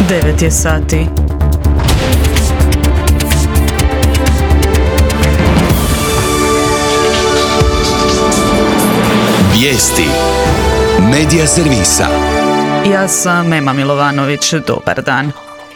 9 je sati. Vijesti Medija servisa. Ja sam Ema Milovanović, dobar dan.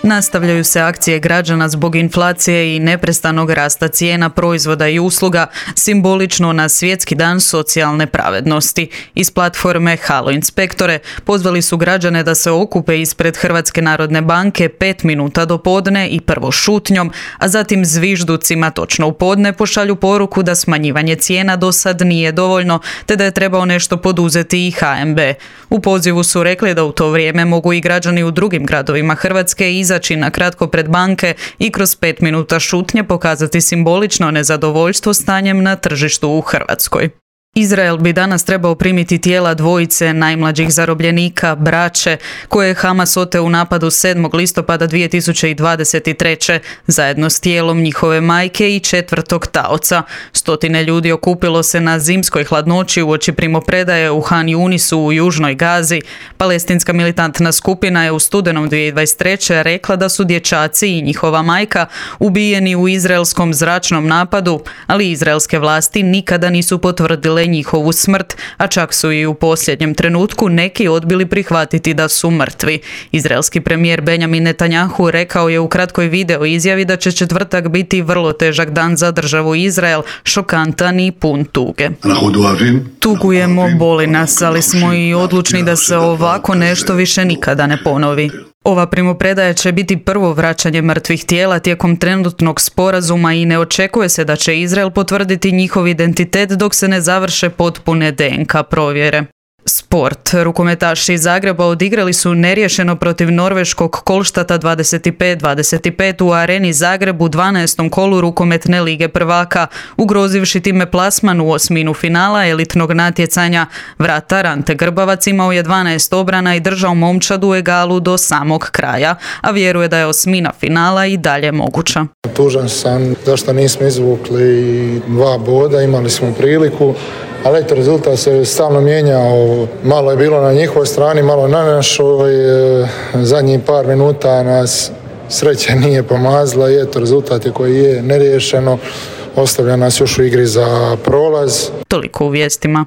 Nastavljaju se akcije građana zbog inflacije i neprestanog rasta cijena proizvoda i usluga, simbolično na Svjetski dan socijalne pravednosti. Iz platforme Halo inspektore pozvali su građane da se okupe ispred Hrvatske narodne banke 5 minuta do podne i prvo šutnjom, a zatim zvižducima točno u podne pošalju poruku da smanjivanje cijena do sad nije dovoljno, te da je trebao nešto poduzeti i HNB. U pozivu su rekli da u to vrijeme mogu i građani u drugim gradovima Hrvatske izaći na kratko pred banke i kroz 5 minuta šutnje pokazati simbolično nezadovoljstvo stanjem na tržištu u Hrvatskoj. Izrael bi danas trebao primiti tijela dvojice najmlađih zarobljenika, braće, koje je Hamas oteo u napadu 7. listopada 2023. zajedno s tijelom njihove majke i 4. taoca. Stotine ljudi okupilo se na zimskoj hladnoći uoči primopredaje u Han Yunisu u južnoj Gazi. Palestinska militantna skupina je u studenom 2023. rekla da su dječaci i njihova majka ubijeni u izraelskom zračnom napadu, ali izraelske vlasti nikada nisu potvrdile njihovu smrt, a čak su i u posljednjem trenutku neki odbili prihvatiti da su mrtvi. Izraelski premijer Benjamin Netanjahu rekao je u kratkoj video izjavi da će četvrtak biti vrlo težak dan za državu Izrael, šokantan i pun tuge. Tugujemo, boli nas, ali smo i odlučni da se ovako nešto više nikada ne ponovi. Ova primopredaja će biti prvo vraćanje mrtvih tijela tijekom trenutnog sporazuma i ne očekuje se da će Izrael potvrditi njihov identitet dok se ne završe potpune DNK provjere. Sport. Rukometaši iz Zagreba odigrali su neriješeno protiv norveškog Kolštata 25-25 u Areni Zagreb u 12. kolu rukometne lige prvaka, ugrozivši time plasman u osminu finala elitnog natjecanja. Vratar Ante Grbavac imao je 12 obrana i držao momčad u egalu do samog kraja, a vjeruje da je osmina finala i dalje moguća. Tužan sam zašto nismo izvukli 2 boda, imali smo priliku. Ali eto, rezultat se stalno mijenjao, malo je bilo na njihovoj strani, malo na našoj, zadnjih par minuta nas sreća nije pomazla i eto, rezultat je koji je neriješeno, ostavlja nas još u igri za prolaz. Toliko u vijestima.